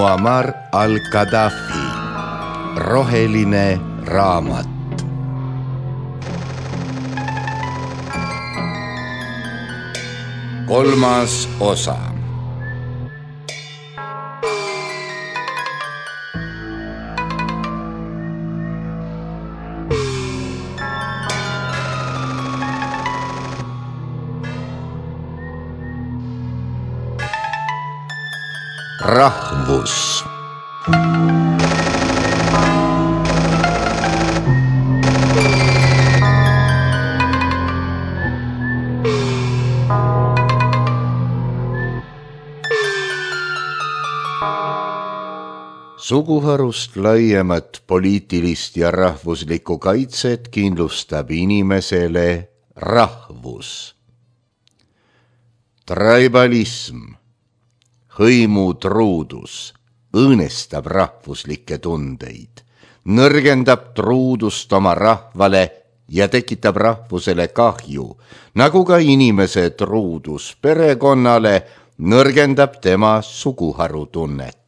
Muammar al-Gaddafi, roheline raamat. Kolmas osa. Rahvus. Suguharust laiemat poliitilist ja rahvuslikku kaitset kindlustab inimesele rahvus. Tribalism, hõimutruudus, õõnestab rahvuslikke tundeid, nõrgendab truudust oma rahvale ja tekitab rahvusele kahju, nagu ka inimese truudus perekonnale nõrgendab tema suguharutunnet.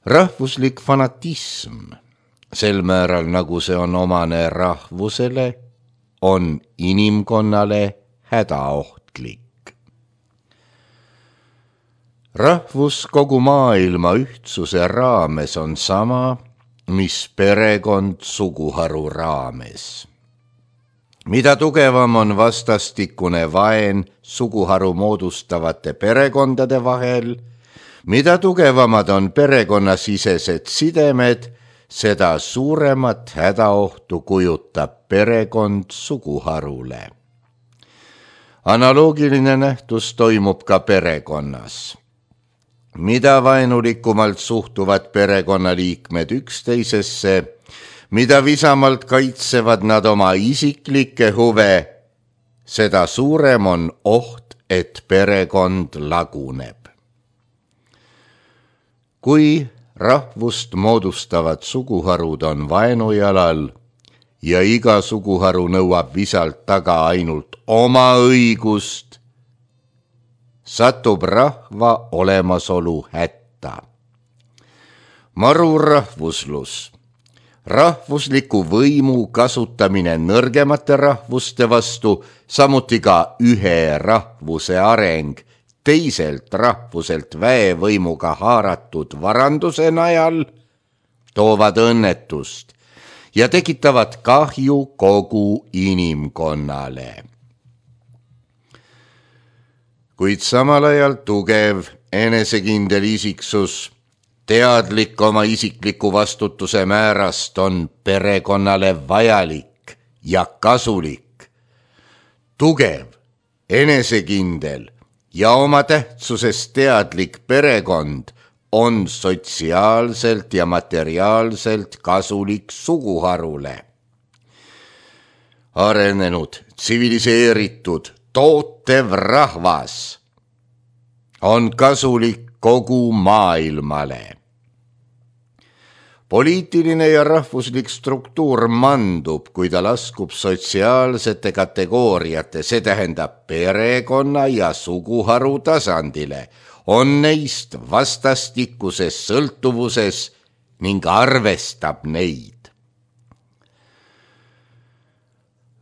Rahvuslik fanatism, sel määral nagu see on omane rahvusele, on inimkonnale hädaohtlik. Rahvus kogu maailma ühtsuse raames on sama, mis perekond suguharu raames. Mida tugevam on vastastikune vaen suguharu moodustavate perekondade vahel, mida tugevamad on perekonnasisesed sidemed, seda suuremat hädaohtu kujutab perekond suguharule. Analoogiline nähtus toimub ka perekonnas. Mida vaenulikumalt suhtuvad perekonnaliikmed üksteisesse, mida visamalt kaitsevad nad oma isiklikke huve, seda suurem on oht, et perekond laguneb. Kui rahvust moodustavad suguharud on vaenujalal ja iga suguharu nõuab visalt taga ainult oma õigust, satub rahva olemasolu hätta. Marurahvuslus, rahvusliku võimu kasutamine nõrgemate rahvuste vastu, samuti ka ühe rahvuse areng, teiselt rahvuselt väevõimuga haaratud varanduse najal, toovad õnnetust ja tekitavad kahju kogu inimkonnale. Kuid samal ajal tugev, enesekindel isiksus, teadlik oma isikliku vastutuse määrast on perekonnale vajalik ja kasulik. Tugev, enesekindel ja oma tähtsusest teadlik perekond on sotsiaalselt ja materiaalselt kasulik suguharule. Arenenud, tsiviliseeritud, tootev rahvas on kasulik kogu maailmale. Poliitiline ja rahvuslik struktuur mandub, kui ta laskub sotsiaalsete kategooriate, see tähendab perekonna ja suguharu tasandile, on neist vastastikuses sõltuvuses ning arvestab neid.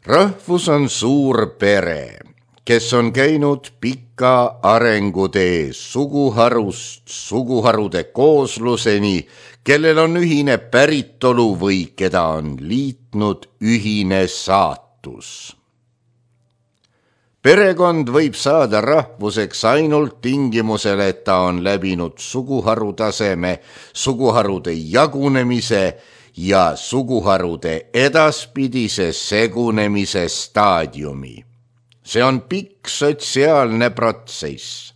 Rahvus on suur pere, kes on käinud pika arengutee suguharust suguharude koosluseni, kellel on ühine päritolu või keda on liitnud ühine saatus. Perekond võib saada rahvuseks ainult tingimusel, et ta on läbinud suguharu taseme, suguharude jagunemise ja suguharude edaspidise segunemise staadiumi. See on pikk sotsiaalne protsess.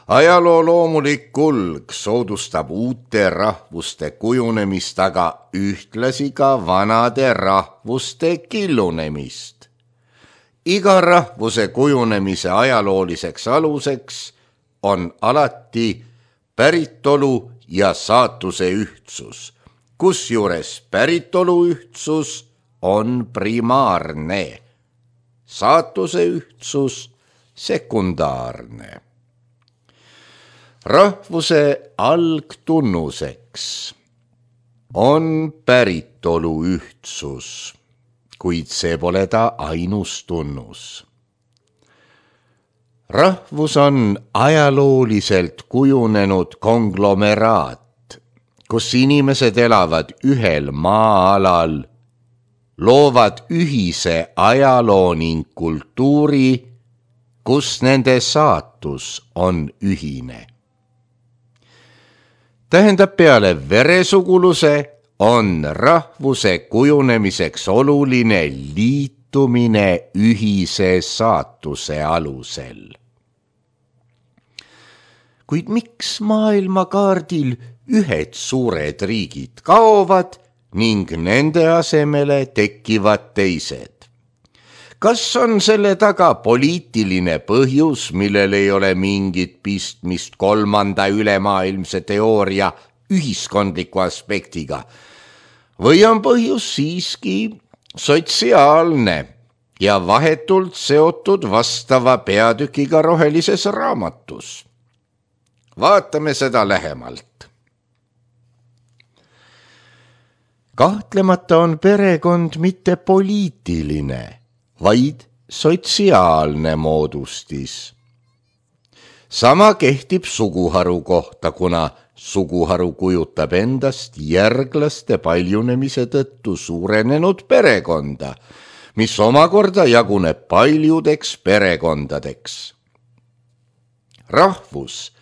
Ajaloo loomulik kulg soodustab uute rahvuste kujunemist, aga ühtlasi ka vanade rahvuste killunemist. Iga rahvuse kujunemise ajalooliseks aluseks on alati päritolu ja saatuse ühtsus, kusjuures päritolu ühtsus on primaarne, saatuse ühtsus sekundaarne. Rahvuse algtunnuseks on päritolu ühtsus, kuid see pole ta ainus tunnus. Rahvus on ajalooliselt kujunenud konglomeraat, kus inimesed elavad ühel maa-alal, loovad ühise ajaloo ning kultuuri, kus nende saatus on ühine. Tähendab, peale veresuguluse on rahvuse kujunemiseks oluline liitumine ühise saatuse alusel. Kuid miks maailmakaardil ühed suured riigid kaovad ning nende asemele tekivad teised? Kas on selle taga poliitiline põhjus, millel ei ole mingit pistmist kolmanda ülemaailmse teooria ühiskondliku aspektiga? Või on põhjus siiski sotsiaalne ja vahetult seotud vastava peatükiga rohelises raamatus? Vaatame seda lähemalt. Kahtlemata on perekond mitte poliitiline, vaid sotsiaalne moodustis. Sama kehtib suguharu kohta, kuna suguharu kujutab endast järglaste paljunemise tõttu suurenenud perekonda, mis omakorda jaguneb paljudeks perekondadeks. Rahvus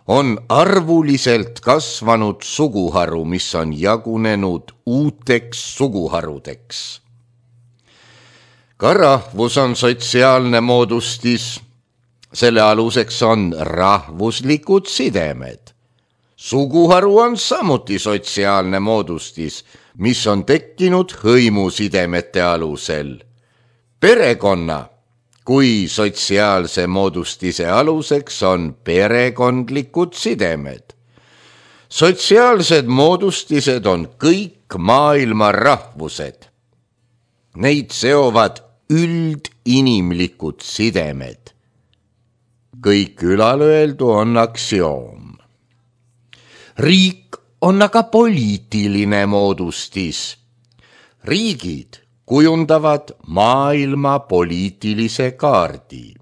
on arvuliselt kasvanud suguharu, mis on jagunenud uuteks suguharudeks. Ka rahvus on sotsiaalne moodustis, selle aluseks on rahvuslikud sidemed. Suguharu on samuti sotsiaalne moodustis, mis on tekkinud hõimusidemete alusel. Perekonna kui sotsiaalse moodustise aluseks on perekondlikud sidemed. Sotsiaalsed moodustised on kõik maailma rahvused. Neid seovad üldinimlikud sidemed. Kõik ülalöeldu on aktsioom. Riik on aga poliitiline moodustis. Riigid kujundavad maailma poliitilise kaardi.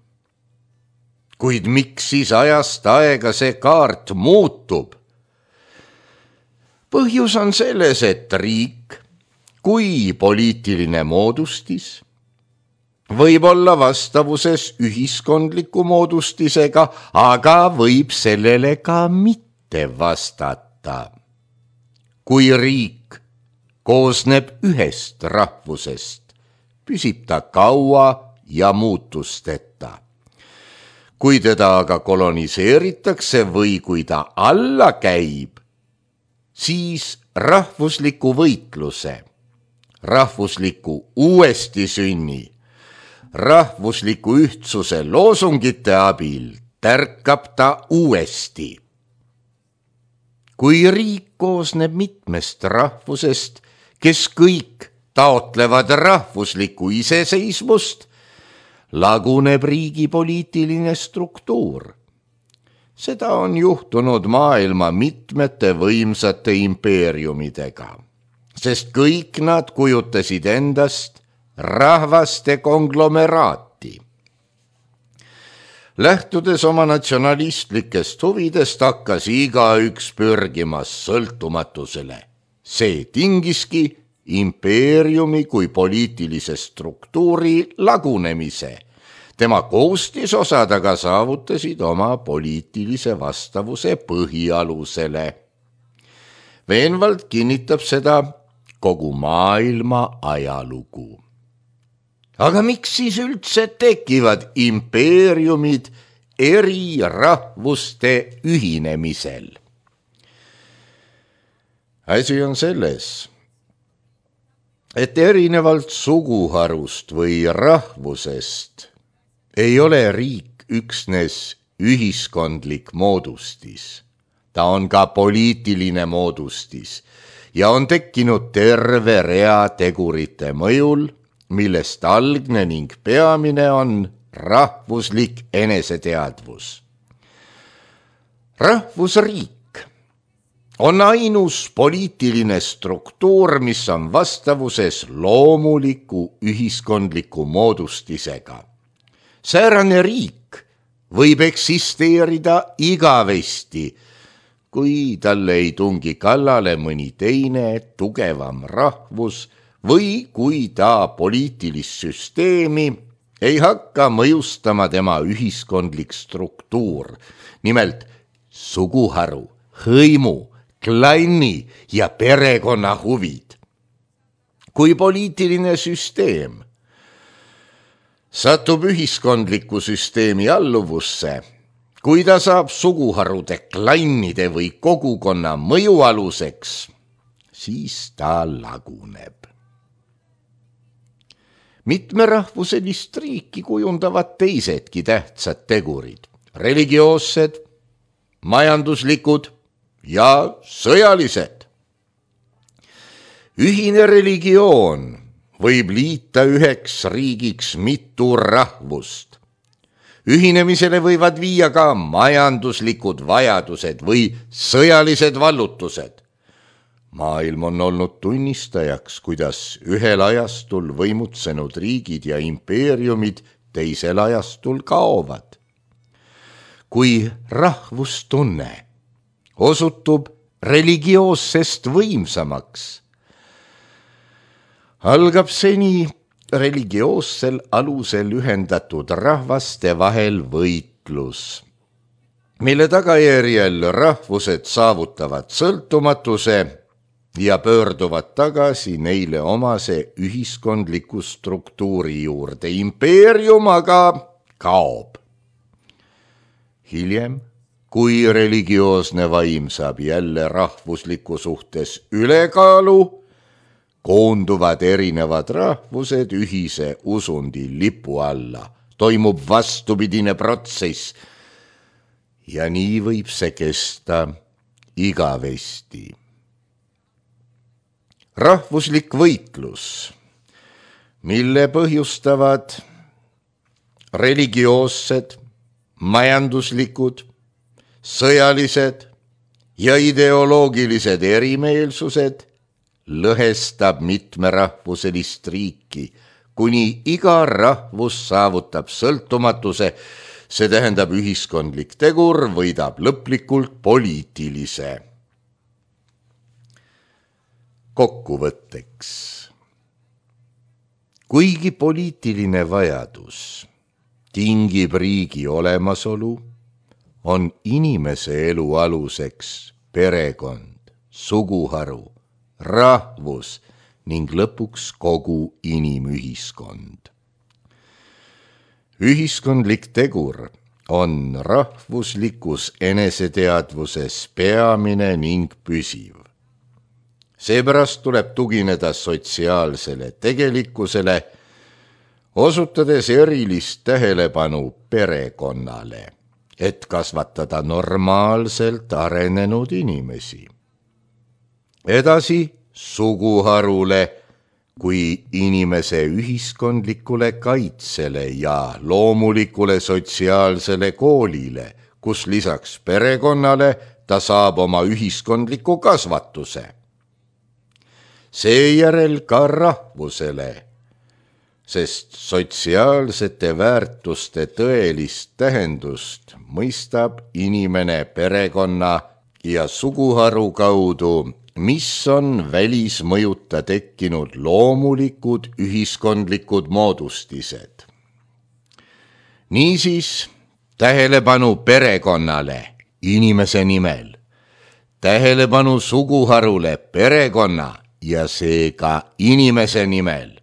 Kuid miks siis ajast aega see kaart muutub? Põhjus on selles, et riik kui poliitiline moodustis võib olla vastavuses ühiskondliku moodustisega, aga võib sellele ka mitte vastata. Kui riik koosneb ühest rahvusest, püsib ta kaua ja muutusteta. Kui teda aga koloniseeritakse või kui ta alla käib, siis rahvusliku võitluse, rahvusliku uuestisünni, rahvusliku ühtsuse loosungite abil tärkab ta uuesti. Kui riik koosneb mitmest rahvusest, kes kõik taotlevad rahvuslikku iseseisvust, laguneb riigi poliitiline struktuur. Seda on juhtunud maailma mitmete võimsate impeeriumidega, sest kõik nad kujutasid endast rahvaste konglomeraati. Lähtudes oma natsionalistlikest huvidest hakkas igaüks pürgimas sõltumatusele. See tingiski impeeriumi kui poliitilise struktuuri lagunemise. Tema koostisosad aga saavutasid oma poliitilise vastavuse põhialusele. Veenvalt kinnitab seda kogu maailma ajalugu. Aga miks siis üldse tekivad impeeriumid eri rahvuste ühinemisel? Asi on selles, et erinevalt suguharust või rahvusest ei ole riik üksnes ühiskondlik moodustis. Ta on ka poliitiline moodustis ja on tekkinud terve rea tegurite mõjul, millest algne ning peamine on rahvuslik eneseteadvus. Rahvusriik on ainus poliitiline struktuur, mis on vastavuses loomuliku ühiskondliku moodustisega. Säärane riik võib eksisteerida igavesti, kui talle ei tungi kallale mõni teine tugevam rahvus või kui ta poliitilist süsteemi ei hakka mõjustama tema ühiskondlik struktuur, nimelt suguharu, hõimu, klanni ja perekonna huvid. Kui poliitiline süsteem satub ühiskondliku süsteemi alluvusse, kui ta saab suguharude, klannide või kogukonna mõjualuseks, siis ta laguneb. Mitmerahvuselist riiki kujundavad teisedki tähtsad tegurid, religioossed, majanduslikud ja sõjalised. Ühine religioon võib liita üheks riigiks mitu rahvust. Ühinemisele võivad viia ka majanduslikud vajadused või sõjalised vallutused. Maailm on olnud tunnistajaks, kuidas ühel ajastul võimutsenud riigid ja impeeriumid teisel ajastul kaovad. Kui rahvustunne osutub religioossest võimsamaks, algab seni religioossel alusel ühendatud rahvaste vahel võitlus, mille tagajärjel rahvused saavutavad sõltumatuse ja pöörduvad tagasi neile omase ühiskondliku struktuuri juurde. Impeerium aga kaob. Hiljem, kui religioosne vaim saab jälle rahvusliku suhtes ülekaalu, koonduvad erinevad rahvused ühise usundi lipu alla. Toimub vastupidine protsess ja nii võib see kesta igavesti. Rahvuslik võitlus, mille põhjustavad religioossed, majanduslikud, sõjalised ja ideoloogilised erimeelsused, lõhestab mitmerahvuselist riiki, kuni iga rahvus saavutab sõltumatuse, see tähendab ühiskondlik tegur võidab lõplikult poliitilise. Kokkuvõtteks. Kuigi poliitiline vajadus tingib riigi olemasolu, on inimese elu aluseks perekond, suguharu, rahvus ning lõpuks kogu inimühiskond. Ühiskondlik tegur on rahvuslikus eneseteadvuses peamine ning püsiv. Seepärast tuleb tugineda sotsiaalsele tegelikkusele, osutades erilist tähelepanu perekonnale, et kasvatada normaalselt arenenud inimesi. Edasi suguharule kui inimese ühiskondlikule kaitsele ja loomulikule sotsiaalsele koolile, kus lisaks perekonnale ta saab oma ühiskondliku kasvatuse. Seejärel ka rahvusele, sest sotsiaalsete väärtuste tõelist tähendust mõistab inimene perekonna ja suguharu kaudu, mis on välismõjuta tekkinud loomulikud ühiskondlikud moodustised. Niisiis tähelepanu perekonnale inimese nimel, tähelepanu suguharule perekonna ja seega inimese nimel,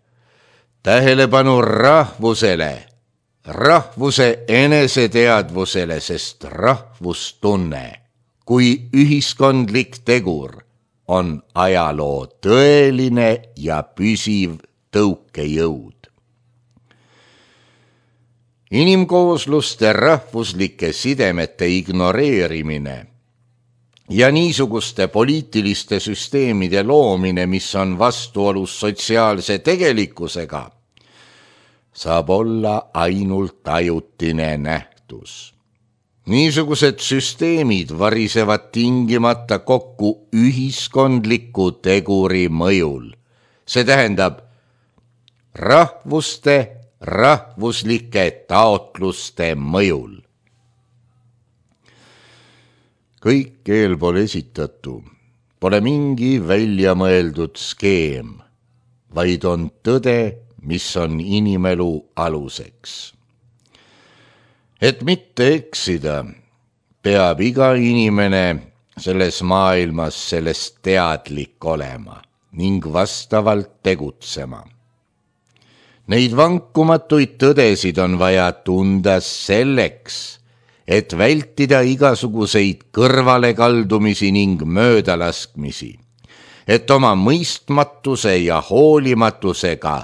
tähelepanu rahvusele, rahvuse eneseteadvusele, sest rahvustunne kui ühiskondlik tegur on ajaloo tõeline ja püsiv tõukejõud. Inimkoosluste rahvuslike sidemete ignoreerimine ja niisuguste poliitiliste süsteemide loomine, mis on vastuolus sotsiaalse tegelikkusega, saab olla ainult ajutine nähtus. Niisugused süsteemid varisevad tingimata kokku ühiskondliku teguri mõjul. See tähendab rahvuslike taotluste mõjul. Kõik eelpool esitatu pole mingi väljamõeldud skeem, vaid on tõde, mis on inimelu aluseks. Et mitte eksida, peab iga inimene selles maailmas sellest teadlik olema ning vastavalt tegutsema. Neid vankumatuid tõdesid on vaja tunda selleks, et vältida igasuguseid kõrvalekaldumisi ning möödalaskmisi, et oma mõistmatuse ja hoolimatusega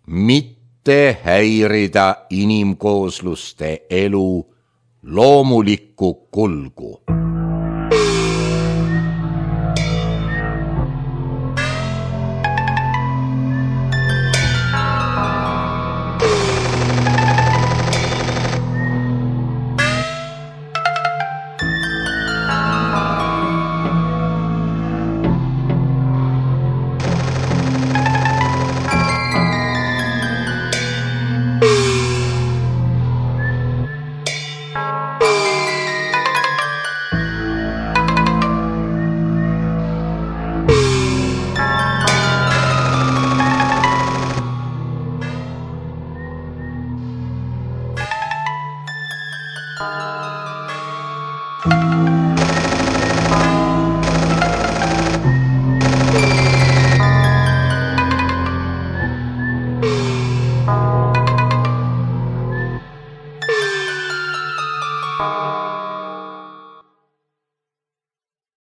mitte häirida inimkoosluste elu loomulikku kulgu.